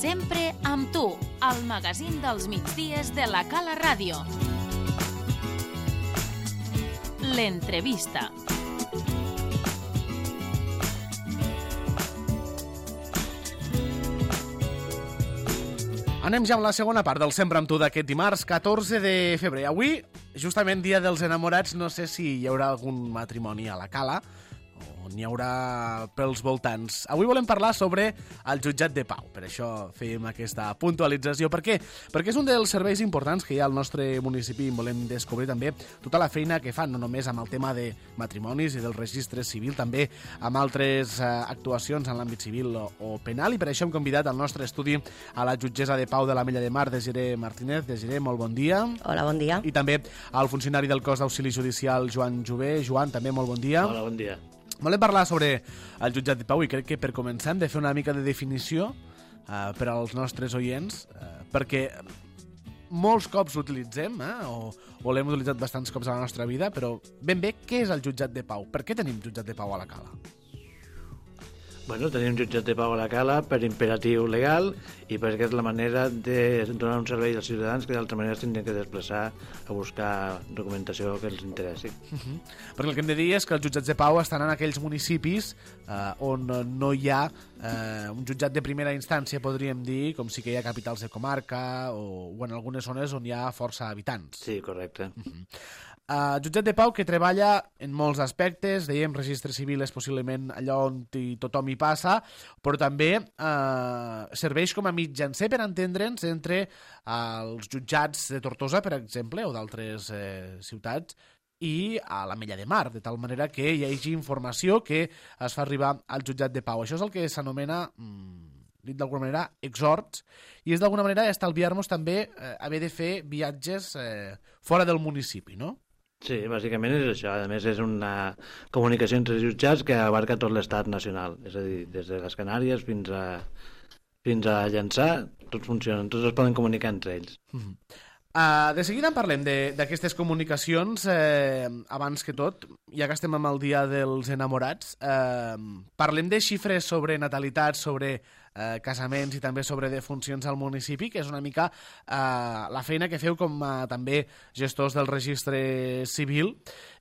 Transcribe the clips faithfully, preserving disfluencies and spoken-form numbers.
Sempre amb tu, al magazín dels migdies de la Cala Ràdio. L'entrevista. Anem ja amb la segona part del Sempre amb tu d'aquest dimarts, catorze de febrer. Avui, justament dia dels enamorats, no sé si hi haurà algun matrimoni a la Cala o n'hi haurà pels voltants. Avui volem parlar sobre el jutjat de pau. Per això fèiem aquesta puntualització. Per què? Perquè és un dels serveis importants que hi ha al nostre municipi i volem descobrir també tota la feina que fan, no només amb el tema de matrimonis i del registre civil, també amb altres eh, actuacions en l'àmbit civil o, o penal, i per això hem convidat al nostre estudi a la jutgessa de pau de l'Ametlla de Mar, Desiré Martínez. Desiré, molt bon dia. Hola, bon dia. I també al funcionari del cos d'auxili judicial, Joan Jové. Joan, també molt bon dia. Hola, bon dia. Volem parlar sobre el jutjat de pau i crec que per començar hem de fer una mica de definició eh, per als nostres oients, eh, perquè molts cops l'utilitzem, eh, o, o l'hem utilitzat bastants cops a la nostra vida, però ben bé, què és el jutjat de pau? Per què tenim jutjat de pau a la Cala? Bueno, tenim jutjat de pau a la Cala per imperatiu legal i perquè és la manera de donar un servei als ciutadans que d'altra manera s'hagin de desplaçar a buscar documentació que els interessi. Uh-huh. Perquè el que hem de dir és que els jutjats de pau estan en aquells municipis eh, on no hi ha eh, un jutjat de primera instància, podríem dir, com sí que hi ha capitals de comarca o, o en algunes zones on hi ha força habitants. Sí, correcte. Uh-huh. Uh, jutjat de pau que treballa en molts aspectes, dèiem, registre civil és possiblement allò on hi, tothom hi passa, però també uh, serveix com a mitjancer per entendre'ns entre uh, els jutjats de Tortosa, per exemple, o d'altres uh, ciutats, i a l'Ametlla de Mar, de tal manera que hi hagi informació que es fa arribar al jutjat de pau. Això és el que s'anomena, mm, dit d'alguna manera, exhorts, i és d'alguna manera estalviar-nos també eh, haver de fer viatges eh, fora del municipi, no? Sí, bàsicament és això. A més, és una comunicació entre jutjats que abarca tot l'estat nacional. És a dir, des de les Canàries fins a, fins a Llançà, tots funcionen, tots es poden comunicar entre ells. Mm-hmm. Uh, de seguida en parlem d'aquestes comunicacions, eh, abans que tot, ja que estem amb el dia dels enamorats, eh, parlem de xifres sobre natalitat, sobre eh, casaments i també sobre defuncions al municipi, que és una mica eh, la feina que feu com a també gestors del registre civil,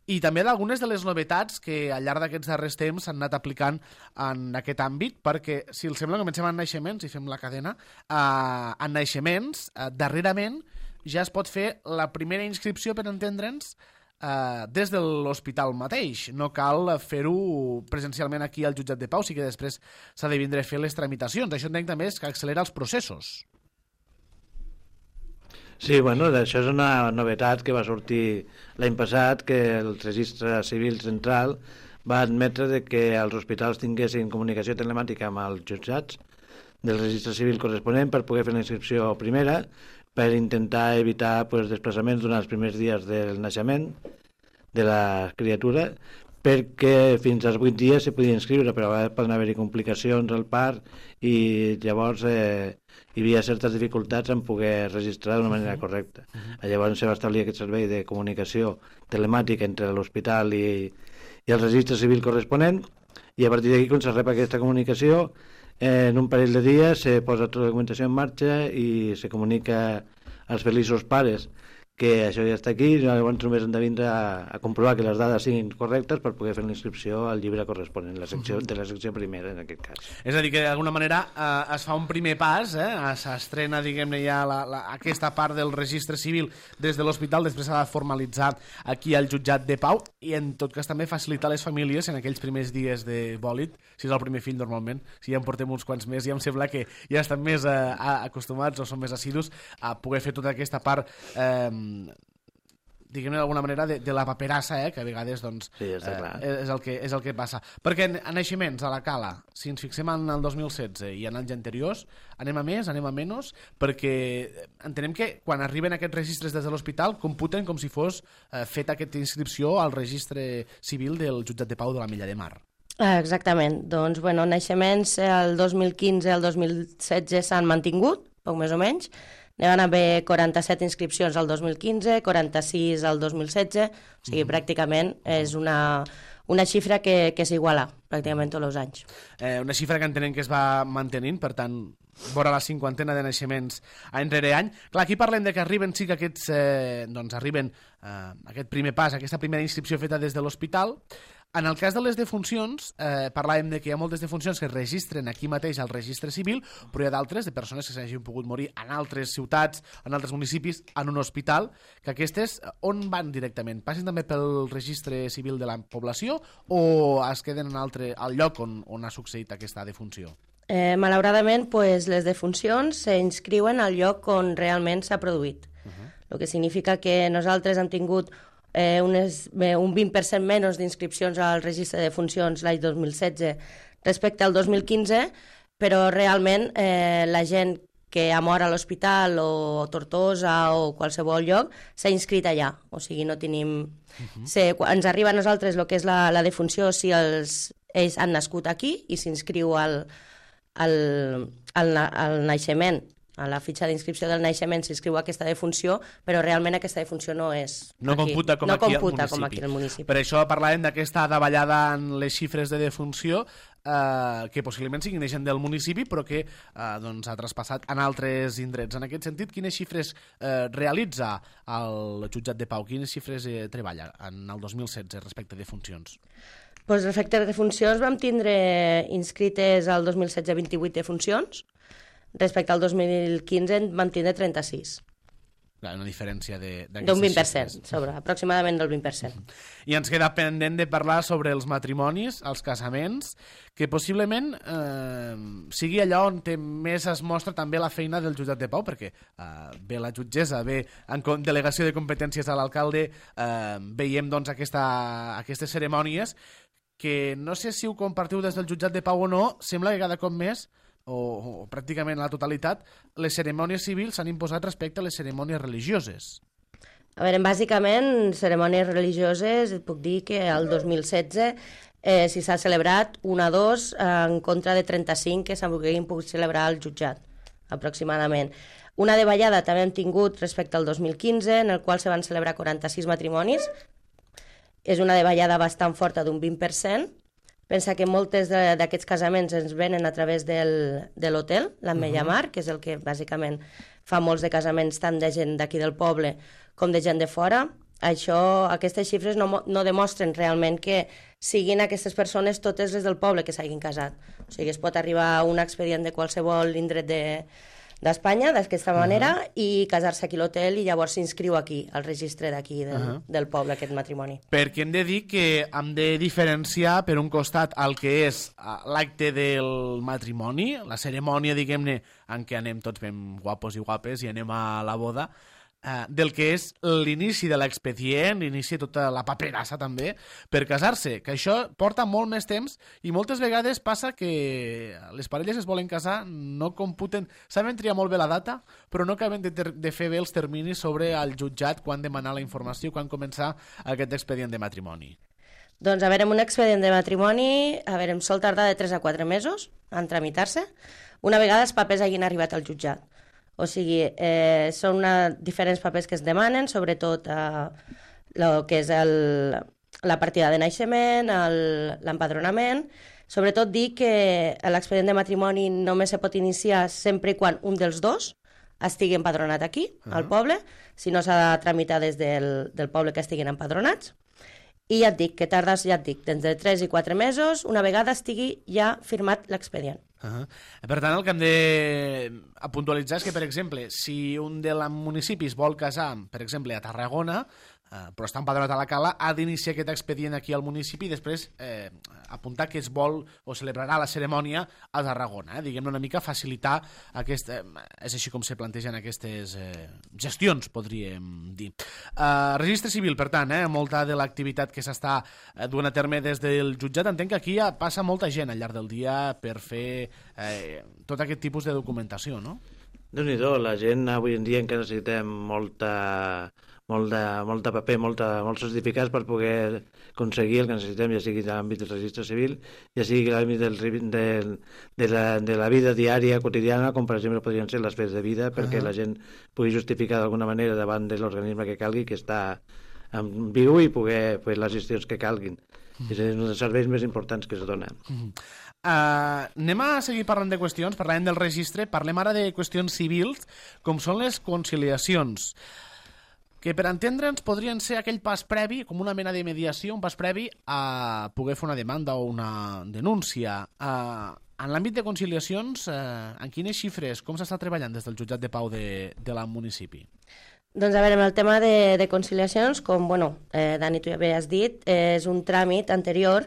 i també d'algunes de les novetats que al llarg d'aquests darrers temps s'han anat aplicant en aquest àmbit, perquè, si els sembla, comencem amb naixements i fem la cadena. Eh, en naixements, eh, darrerament, ja es pot fer la primera inscripció, per entendre'ns, eh, des de l'hospital mateix. No cal fer-ho presencialment aquí al jutjat de pau, sí que després s'ha de vindre a fer les tramitacions. Això entenc també és que accelera els processos. Sí, bueno, això és una novetat que va sortir l'any passat, que el registre civil central va admetre de que els hospitals tinguessin comunicació telemàtica amb els jutjats del registre civil corresponent per poder fer la inscripció primera, per intentar evitar pues, desplaçaments durant els primers dies del naixement de la criatura, perquè fins als vuit dies se podia inscriure, però a vegades poden haver-hi complicacions al part i llavors eh, hi havia certes dificultats en poder registrar d'una manera correcta. Llavors se va establir aquest servei de comunicació telemàtica entre l'hospital i, i el registre civil corresponent, i a partir d'aquí, quan se rep aquesta comunicació, en un parell de dies se posa tota la documentació en marxa i se comunica als feliços pares que això ja està aquí, i llavors només han de vindre a, a comprovar que les dades siguin correctes per poder fer la inscripció al llibre corresponent, la secció, de la secció primera, en aquest cas. És a dir, que d'alguna manera eh, es fa un primer pas, eh, s'estrena, diguem-ne, ja la, la, aquesta part del registre civil des de l'hospital, després s'ha de formalitzar aquí al jutjat de pau, i en tot cas també facilitar les famílies en aquells primers dies de bòlit, si és el primer fill normalment, si ja en portem uns quants més, ja em sembla que ja estan més eh, acostumats o són més assidus a poder fer tota aquesta part eh, diguem-ne d'alguna manera, de, de la paperassa, eh, que a vegades doncs, sí, està clar. eh, és, el que, és el que passa. Perquè en, en naixements a la Cala, si ens fixem en el dos mil setze i en anys anteriors, anem a més, anem a menys, perquè entenem que quan arriben aquests registres des de l'hospital computen com si fos eh, feta aquesta inscripció al registre civil del jutjat de pau de l'Ametlla de Mar. Exactament. Doncs, bueno, naixements el dos mil quinze al dos mil setze s'han mantingut, poc més o menys. N'hi van haver quaranta-set inscripcions al dos mil quinze, quaranta-sis al dos mil setze, o sigui, mm-hmm. pràcticament és una, una xifra que, que s'iguala pràcticament tots els anys. Eh, una xifra que entenem que es va mantenint, per tant, vora la cinquantena de naixements any rere any. Clar, aquí parlem de que arriben, sí que aquests, eh, doncs arriben eh, aquest primer pas, aquesta primera inscripció feta des de l'hospital. En el cas de les defuncions, eh, parlàvem de que hi ha moltes defuncions que es registren aquí mateix al registre civil, però hi ha d'altres, de persones que s'hagin pogut morir en altres ciutats, en altres municipis, en un hospital, que aquestes on van directament? Passen també pel registre civil de la població o es queden en altre, al lloc on, on ha succeït aquesta defunció? Eh, malauradament, pues, les defuncions s'inscriuen al lloc on realment s'ha produït. Uh-huh. El que significa que nosaltres hem tingut Eh, unes, eh, un vint per cent menys d'inscripcions al registre de funcions l'any dos mil setze respecte al dos mil quinze, però realment eh, la gent que ha mort a l'hospital o Tortosa o qualsevol lloc s'ha inscrit allà, o sigui, no tenim... Uh-huh. Se, ens arriba a nosaltres el que és la, la defunció si els, ells han nascut aquí i s'inscriu al, al, al, al naixement. A la fitxa d'inscripció del naixement s'inscriu aquesta defunció, però realment aquesta defunció no és no aquí. Computa com, no aquí, computa al com aquí al municipi. Per això parlàvem d'aquesta davallada en les xifres de defunció, eh, que possiblement siguin gent del municipi, però que eh, doncs, ha traspassat en altres indrets. En aquest sentit, quines xifres eh, realitza el jutjat de Pau? Quines xifres eh, treballa en el dos mil setze respecte de defuncions? Pues respecte a defuncions vam tindre inscrites al dos mil setze vint-i-vuit defuncions, respecte al dos mil quinze en vam tindre trenta-sis. Clar, una diferència de, d'un vint per cent, sobre, aproximadament del vint per cent. I ens queda pendent de parlar sobre els matrimonis, els casaments, que possiblement eh, sigui allò on té més es mostra també la feina del jutjat de Pau, perquè eh, ve la jutgessa, ve en delegació de competències a l'alcalde, eh, veiem doncs aquesta, aquestes cerimònies que no sé si ho compartiu des del jutjat de Pau o no, sembla que cada cop més O, o pràcticament la totalitat, les cerimònies civils s'han imposat respecte a les cerimònies religioses. A veure, bàsicament, cerimònies religioses, et puc dir que el dos mil setze eh, si s'ha celebrat una a dos en contra de trenta-cinc que s'haguessin pogut celebrar al jutjat, aproximadament. Una de ballada també hem tingut respecte al dos mil quinze, en el qual se van celebrar quaranta-sis matrimonis. És una de ballada bastant forta d'un vint per cent. Pensa que moltes d'aquests casaments ens venen a través del, de l'hotel, l'Ametlla Mar, que és el que bàsicament fa molts de casaments tant de gent d'aquí del poble com de gent de fora. Això, aquestes xifres no, no demostren realment que siguin aquestes persones totes les del poble que s'hagin casat. O sigui, es pot arribar a un expedient de qualsevol indret de, d'Espanya, d'aquesta manera, uh-huh. i casar-se aquí a l'hotel i llavors s'inscriu aquí, al registre d'aquí del, uh-huh. del poble, aquest matrimoni. Perquè hem de dir que hem de diferenciar, per un costat, el que és l'acte del matrimoni, la cerimònia, diguem-ne, en què anem tots ben guapos i guapes i anem a la boda, Uh, del que és l'inici de l'expedient, l'inici de tota la paperassa també, per casar-se, que això porta molt més temps i moltes vegades passa que les parelles es volen casar, no computen, saben triar molt bé la data, però no acaben de, ter- de fer bé els terminis sobre el jutjat, quan demanar la informació, quan començar aquest expedient de matrimoni. Doncs a veure, un expedient de matrimoni, a veure, em sol tardar de tres a quatre mesos en tramitar-se, una vegada els papers hagin arribat al jutjat. O sigui, eh, són una, diferents papers que es demanen, sobretot eh, el que és el, la partida de naixement, el, l'empadronament. Sobretot dir que l'expedient de matrimoni només se pot iniciar sempre i quan un dels dos estigui empadronat aquí, uh-huh. al poble, si no s'ha de tramitar des del, del poble que estiguin empadronats. I ja et dic, que tardes, ja et dic, d'entre tres i quatre mesos, una vegada estigui ja firmat l'expedient. Uh-huh. Per tant, el que hem de puntualitzar és que, per exemple, si un dels municipis vol casar, per exemple, a Tarragona, eh, però està empadronat a la Cala, ha d'iniciar aquest expedient aquí al municipi i després eh, apuntar que es vol o celebrarà la cerimònia a Tarragona. Eh? Diguem-ne una mica facilitar aquest... Eh, és així com se plantegen aquestes eh, gestions, podríem dir. Eh, registre civil, per tant, eh, molta de l'activitat que s'està eh, duent a terme des del jutjat. Entenc que aquí ja passa molta gent al llarg del dia per fer eh, tot aquest tipus de documentació, no? Déu-n'hi-do, la gent avui en dia encara necessitem molta, molta, molta paper, molta, molts certificats per poder aconseguir el que necessitem, ja sigui a l'àmbit del registre civil, ja sigui a l'àmbit del, del, de, la, de la vida diària, quotidiana, com per exemple podrien ser les fets de vida, perquè uh-huh. la gent pugui justificar d'alguna manera davant de l'organisme que calgui que està en viu i poder fer les gestions que calguin. És un dels serveis més importants que es donen. Uh, anem a seguir parlant de qüestions, parlem del registre, parlem ara de qüestions civils, com són les conciliacions, que per entendre'ns podrien ser aquell pas previ, com una mena de mediació, un pas previ a poder fer una demanda o una denúncia. Uh, en l'àmbit de conciliacions, uh, en quines xifres, com s'està treballant des del jutjat de pau de, de la municipi? Doncs a veure, amb el tema de, de conciliacions, com bueno, eh, Dani, tu ja havies dit, eh, és un tràmit anterior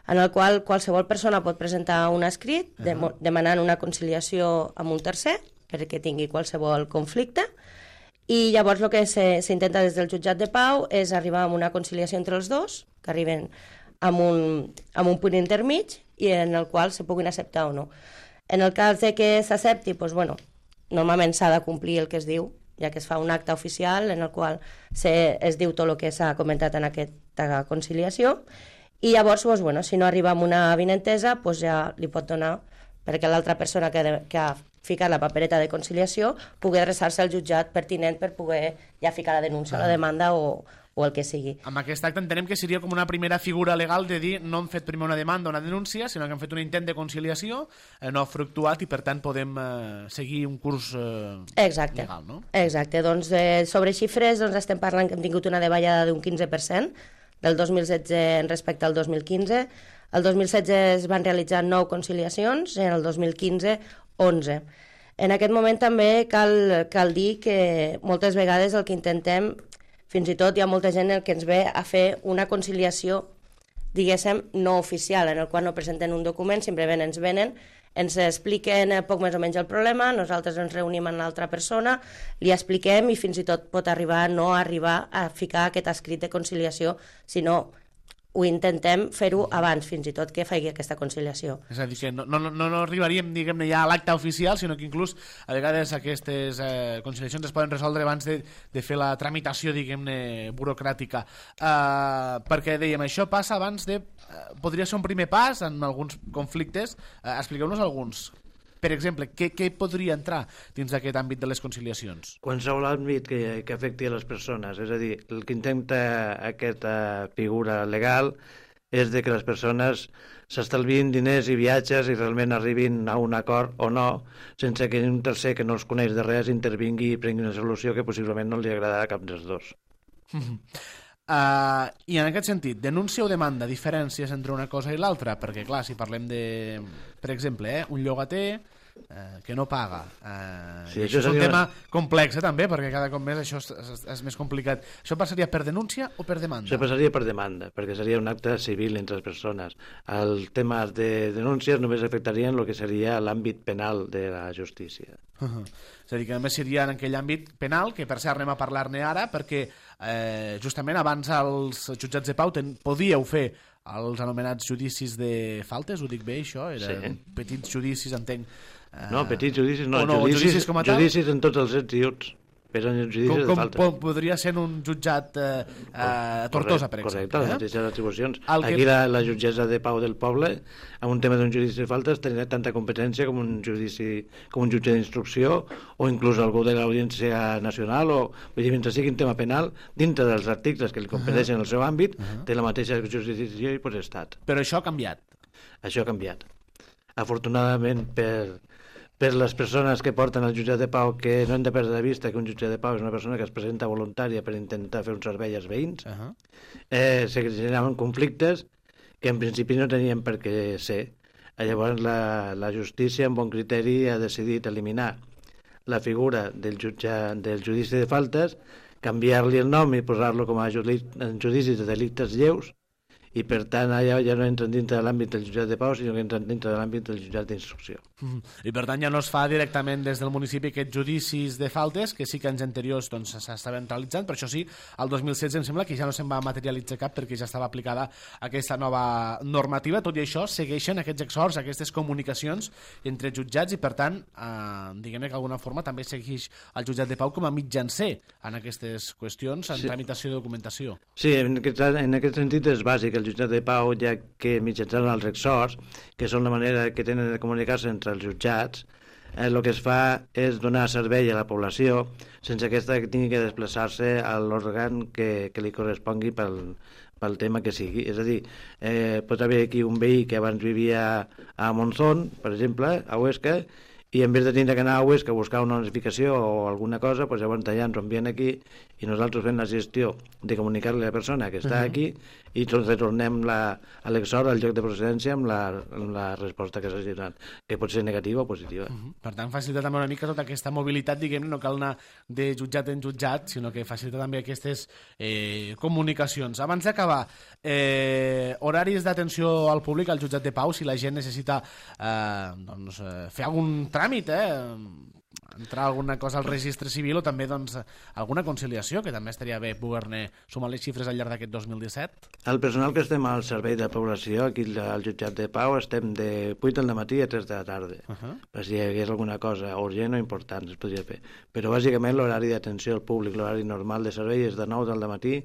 en el qual qualsevol persona pot presentar un escrit de, uh -huh. demanant una conciliació amb un tercer perquè tingui qualsevol conflicte, i llavors el que s'intenta des del jutjat de pau és arribar a una conciliació entre els dos, que arriben amb un, amb un punt intermig i en el qual se puguin acceptar o no. En el cas de que s'accepti, doncs, bueno, normalment s'ha de complir el que es diu, ja que es fa un acte oficial en el qual se, es diu tot el que s'ha comentat en aquesta conciliació, i llavors, doncs, bueno, si no arriba a una avinentesa, doncs ja li pot donar perquè l'altra persona que, de, que ha ficat la papereta de conciliació pugui adreçar-se al jutjat pertinent per poder ja ficar la denúncia, ah. la demanda o, o el que sigui. Amb aquest acte entenem que seria com una primera figura legal de dir no hem fet primer una demanda o una denúncia, sinó que hem fet un intent de conciliació, eh, no ha fructuat i per tant podem eh, seguir un curs eh, Exacte. legal, no? Exacte, doncs eh, sobre xifres doncs, estem parlant que hem tingut una davallada d'un quinze per cent del dos mil setze respecte al dos mil quinze. El dos mil setze es van realitzar nou conciliacions, en el dos mil quinze onze. En aquest moment també cal, cal dir que moltes vegades el que intentem, fins i tot hi ha molta gent que ens ve a fer una conciliació, diguéssim, no oficial, en el qual no presenten un document, simplement ens venen, ens expliquen poc més o menys el problema, nosaltres ens reunim amb l'altra persona, li expliquem i fins i tot pot arribar no arribar a ficar aquest escrit de conciliació, sinó ho intentem fer-ho abans, fins i tot que faci aquesta conciliació. És a dir, que no, no, no, no arribaríem, diguem-ne, ja a l'acte oficial, sinó que inclús a vegades aquestes eh, conciliacions es poden resoldre abans de, de fer la tramitació, diguem-ne, burocràtica. Uh, perquè, dèiem, això passa abans de... Uh, podria ser un primer pas en alguns conflictes. Uh, expliqueu-nos alguns. Per exemple, què, què podria entrar dins d'aquest àmbit de les conciliacions? Qualsevol àmbit que, que afecti a les persones, és a dir, el que intenta aquesta figura legal és de que les persones s'estalvien diners i viatges i realment arribin a un acord o no, sense que un tercer que no els coneix de res intervingui i prengui una solució que possiblement no li agradarà a cap dels dos. Uh, I en aquest sentit, denúncia o demanda, diferències entre una cosa i l'altra? Perquè, clar, si parlem de, per exemple, eh, un llogater eh, que no paga, eh, sí, això és un seria... tema complex, eh, també, perquè cada cop més això és, és, és més complicat. Això passaria per denúncia o per demanda? Això passaria per demanda, perquè seria un acte civil entre les persones. El tema de denúncies només afectarien el que seria l'àmbit penal de la justícia. Uh -huh. És a dir, que només seria en aquell àmbit penal, que per cert anem a parlar-ne ara, perquè eh, justament abans els jutjats de pau ten, podíeu fer els anomenats judicis de faltes, ho dic bé això? Eren sí. Petits judicis, entenc. Eh, no, petits judicis no, no judicis, judicis, com a tal? Judicis en tots els ets i uts. Eren judicis com, de com faltes. Com podria ser un jutjat eh, a Tortosa, per exemple. Correcte, les mateixes atribucions. Aquí que... la, la jutgessa de pau del poble, en un tema d'un judici de faltes, tenia tanta competència com un judici, com un jutge d'instrucció, o inclús algú de l'Audiència Nacional, o vull dir, mentre sigui un tema penal, dintre dels articles que li competeixen uh -huh. al seu àmbit, uh -huh. té la mateixa jurisdicció i potestat. Però això ha canviat. Això ha canviat. Afortunadament per... per les persones que porten al jutjat de pau, que no hem de perdre de vista que un jutge de pau és una persona que es presenta voluntària per intentar fer un servei als veïns, uh -huh. eh, se generaven conflictes que en principi no tenien per què ser. Llavors la, la justícia, amb bon criteri, ha decidit eliminar la figura del, jutge, del judici de faltes, canviar-li el nom i posar-lo com a judici de delictes lleus, i per tant allà ja no entren dintre de l'àmbit del jutjat de pau, sinó que entren dintre de l'àmbit del jutjat d'instrucció. Mm. I per tant ja no es fa directament des del municipi aquests judicis de faltes, que sí que anys anteriors doncs, s'estaven realitzant, però això sí, el dos mil setze em sembla que ja no se'n va materialitzar cap perquè ja estava aplicada aquesta nova normativa. Tot i això segueixen aquests exhorts, aquestes comunicacions entre jutjats i per tant, eh, diguem-ne que d'alguna forma també segueix el jutjat de pau com a mitjancer en aquestes qüestions, en sí. tramitació de documentació. Sí, en aquest, en aquest sentit és bàsic el jutjat de pau, ja que mitjançant els exhorts, que són la manera que tenen de comunicar-se entre els jutjats, eh, el que es fa és donar servei a la població sense aquesta que tingui que desplaçar-se a l'òrgan que, que li correspongui pel, pel tema que sigui. És a dir, eh, pot haver aquí un veí que abans vivia a Monzón, per exemple, a Huesca, i en vez de tindre que anar a Huesca a buscar una notificació o alguna cosa, doncs llavors allà ens ho envien aquí i nosaltres fem la gestió de comunicar-li a la persona que està uh -huh. aquí i retornem la, a l'exhort al lloc de procedència amb la, amb la resposta que s'hagi donat, que pot ser negativa o positiva. Uh -huh. Per tant, facilita també una mica tota aquesta mobilitat, diguem-ne, no cal anar de jutjat en jutjat, sinó que facilita també aquestes eh, comunicacions. Abans d'acabar, eh, horaris d'atenció al públic al jutjat de Pau, si la gent necessita eh, doncs, eh, fer algun tràmit, eh, entrar alguna cosa al registre civil o també doncs, alguna conciliació, que també estaria bé poder-ne sumar les xifres al llarg d'aquest dos mil disset. El personal que estem al servei de població, aquí al jutjat de Pau, estem de vuit del matí a tres de la tarda. Uh -huh. Per si hi hagués alguna cosa urgent o important es podria fer. Però bàsicament l'horari d'atenció al públic, l'horari normal de servei és de nou del matí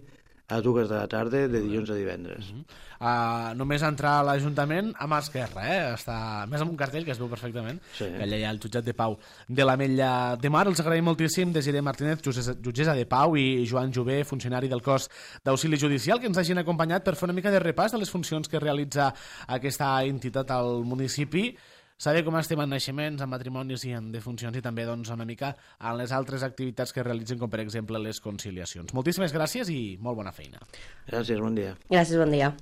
a dues de la tarda, de dilluns a divendres. Uh -huh. uh, només entrar a l'Ajuntament a mà esquerra, eh? Està més amb un cartell que es veu perfectament, sí. Que allà hi ha el jutjat de Pau de l'Ametlla de Mar. Els agraïm moltíssim Desiré Martínez, jutgessa de Pau, i Joan Jové, funcionari del cos d'auxili judicial, que ens hagin acompanyat per fer una mica de repàs de les funcions que realitza aquesta entitat al municipi, saber com estem en naixements, en matrimonis i en defuncions, i també doncs, una mica en les altres activitats que realitzen, com per exemple les conciliacions. Moltíssimes gràcies i molt bona feina. Gràcies, bon dia. Gràcies, bon dia.